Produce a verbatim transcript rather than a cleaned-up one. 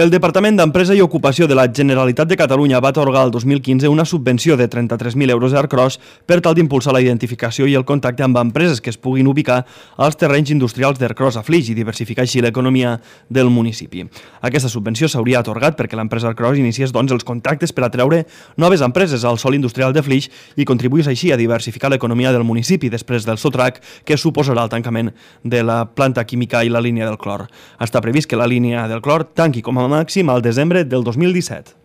El Departament d'Empresa i Ocupació de la Generalitat de Catalunya va atorgar el dos mil quinze una subvenció de trenta-tres mil euros a Ercros per tal d'impulsar la identificació i el contacte amb empreses que es puguin ubicar als terrenys industrials d'Ercros a Flix i diversificar així l'economia del municipi. Aquesta subvenció s'hauria atorgat perquè l'empresa Ercros iniciés doncs, els contactes per atreure noves empreses al sòl industrial de Flix i contribuís així a diversificar l'economia del municipi després del sotrac que suposarà el tancament de la planta química i la línia del clor. Està previst que la línia del clor tanqui com a màxim al desembre del dos mil disset.